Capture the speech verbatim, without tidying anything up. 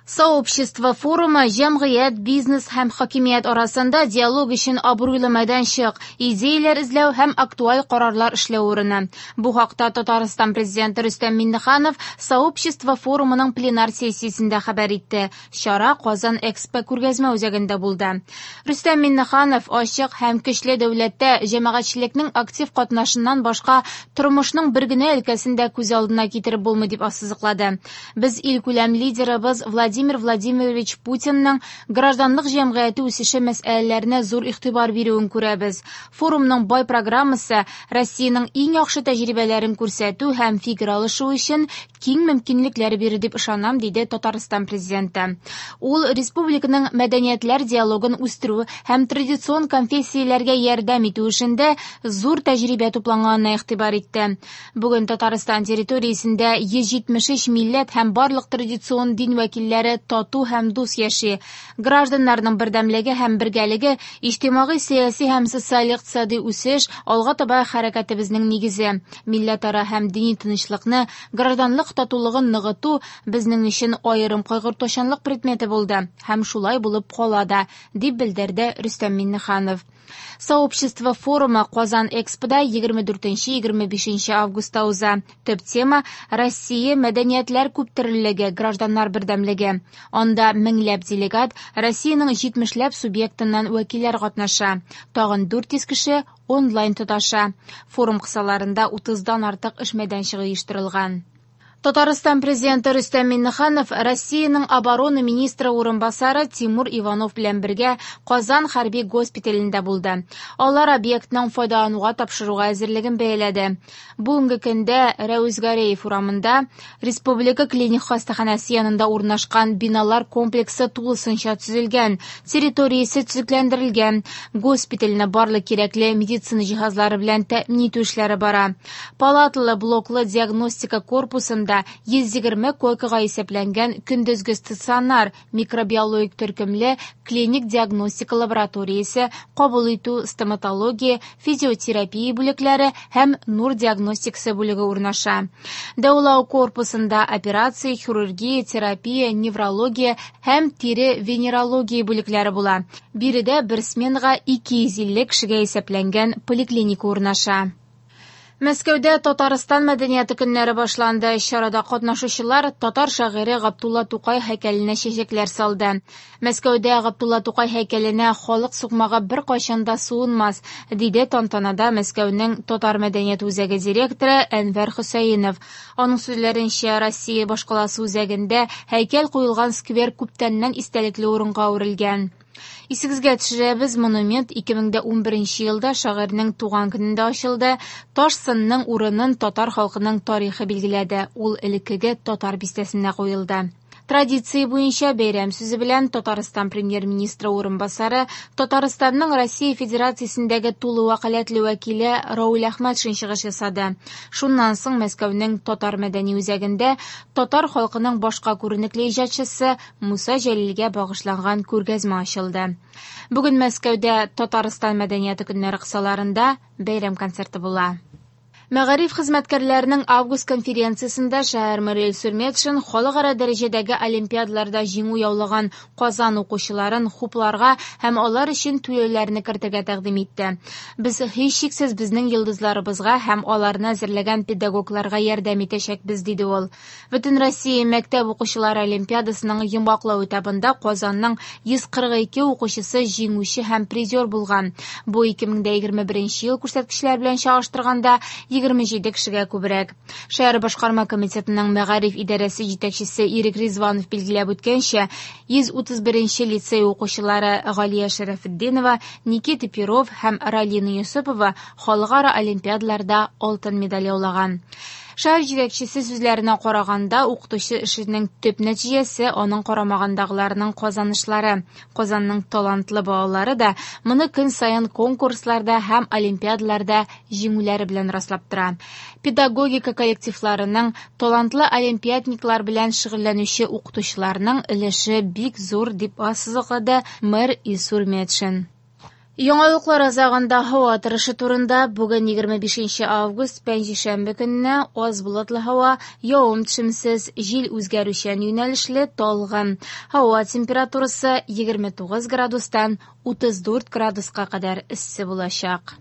Сообщество форумы җәмгыять, бизнес һәм хакимият арасында диалог өчен абруйлы мәйданчык, идеяләр эзләү һәм актуаль карарлар эшләү урыны. Бу хакта Татарстан президенты Рөстәм Миңнеханов Сообщество форумының пленар сессиясендә хәбәр итте. Чара Казан Экспо күргәзмә үзәгендә булды. Рөстәм Миңнеханов ачык һәм көчле дәүләттә җәмәгатьчелекнең актив катнашыннан башка тормышның бер генә өлкәсен дә күз алдына китереп булмый дип ассызыклады. Без илкүләм лидерыбыз Владимир Владимир Владимирович Путинның гражданлык җәмгыяте үсеше мәсьәләләренә зур игътибар бирүен күрәбез. Форумның бай программасы Россиянең иң яхшы тәҗрибәләрен күрсәтү һәм фикер алышу өчен киң мөмкинлекләр бирер дип ышанам, диде Татарстан президенты. Ул республиканың мәдәниятләр диалогын үстерү һәм традицион конфессияләргә ярдәм итү эшендә зур тәҗрибә тупланганына игътибар итте. Бүген Татарстан территориясендә йөз җитмеш өч милләт һәм барлык традицион дин вәкилләре тату һәм дус яши. Гражданнарның бердәмлеге һәм бергәлеге иҗтимагый, сәяси һәм социаль-икътисади үсеш алга таба хәрәкәтебезнең нигезе. Милләтара һәм дини тынычлыкны, гражданлык татулыгын ныгыту безнең өчен аерым кайгыртучанлык предметы булды һәм шулай булып кала да, дип белдерде Рөстәм Миңнеханов. Сообщество форумы Казан Экспода егерме дүртенче егерме бишенче августта уза. Төп тема Россия мәдәниятләр күптөрлелеге, гражданнар бердәмлеге. Анда меңләп делегат Россиянең җитмешләп субъектыннан вәкилләр катнаша. Тагын дүрт йөз кеше онлайн тоташа. Форум кысаларында утыздан артык эш мәйданчыгы оештырылган. Татарстан президенты Рөстәм Миңнеханов Россиянең оборона министры урынбасары Тимур Иванов белән бергә Казан хәрби госпиталендә булды. Алар объектның файдалануга тапшыруга әзерлеген бәяләде. Бүгенге көндә Рәүз Гәрәев урамында Республика клиник хастаханәсе янында урнашкан биналар комплексы тулысынча төзелгән, территориясе төзекләндерелгән. Госпитальне барлык кирәкле медицина җиһазлары белән тәэмин итү эшләре бара. Палаталы блоклы диагностика корпусында йөз егерме койкага исәпләнгән көндезге стационар, микробиологик төркемле клиник диагностика лабораториясе, кабул итү, стоматология, физиотерапия бүлекләре һәм нур диагностикасы бүлеге урнаша. Дәвалау корпусында операция, хирургия, терапия, неврология һәм тире венерология бүлекләре була. Биредә бер сменага ике йөз илле кешегә исәпләнгән поликлиника урнаша. Мәскәүдә Татарстан мәдәнияте көннәре башланды. Чарада катнашучылар татар шагыйре Габдулла Тукай һәйкәленә чәчәкләр салды. Мәскәүдә Габдулла Тукай һәйкәленә халык сукмагы беркайчан да суынмас, диде тантанада Мәскәүнең Татар мәдәният үзәге директоры Әнвәр Хөсәенов. Аның сүзләренчә, Россия башкаласы үзәгендә һәйкәл куелган сквер күптәннән истәлекле урынга әверелгән. Исегезгә төшерәбез, монумент ике мең дә унберенче елда шагыйрьнең туган көнендә ачылды. Таш сынның урынын татар халкының тарихы билгеләде. Ул элеккеге татар бистәсенә куелды. Традиция буенча бәйрәм сүзе белән Татарстан премьер-министры урынбасары, Татарстанның Россия Федерациясендәге тулы вәкаләтле вәкиле Рауль Әхмәтшин чыгыш ясады. Шуннан соң Мәскәүнең Татар мәдәни үзәгендә татар халкының башка күренекле иҗатчысы Муса Җәлилгә багышланган күргәзмә ачылды. Бүген Мәскәүдә Татарстан мәдәнияте көннәре кысаларында бәйрәм концерты була. Мәгариф хезмәткәрләренең август конференциясендә шәһәр мэры Илсур Метшин халыкара дәрәҗәдәге олимпиадаларда җиңү яулаган Казан укучыларын хупларга һәм алар өчен түләүләрне кертергә тәкъдим итте. Без һичшиксез безнең йолдызларыбызга һәм аларны әзерләгән педагогларга ярдәм итәчәкбез, диде ул. Бөтен Россия мәктәп укучылары олимпиадасының йомгаклау этабында Казанның йөз кырык ике укучысы җиңүче һәм призер булган. Бу ике мең дә егерме беренче ел күрсәткечләре белән чагыштырганда егерме җиде кешегә күбрәк. Шәһәр башкарма комитетының мәгариф идарәсе җитәкчесе Ирек Ризванов билгеләп үткәнчә, йөз утыз беренче лицей укучылары Галия Шәрәфетдинова, Никита Перов һәм Ралина Юсупова халыкара олимпиадаларда алтын медаль яулаган. Шәһәр җитәкчесе сүзләренә караганда, укытучы эшенең төп нәтиҗәсе аның карамагындагыларның казанышлары. Казанның талантлы балалары да моны көн саен конкурсларда һәм олимпиадаларда җиңүләре белән раслап тора. Педагогика коллективларының талантлы олимпиадниклар белән шөгыльләнүче укытучыларның өлеше бик зур, дип ассызыклады мэр Илсур Метшин. Яңалыклар азагында һава торышы турында. Бүген егерме бишенче август, пәнҗешәмбе көнне аз болытлы һава, явым-төшемсез, җил үзгәрүчән юнәлешле, талгын. Һава температурасы егерме тугыз градустан утыз дүрт градуска кадәр эссе булачак.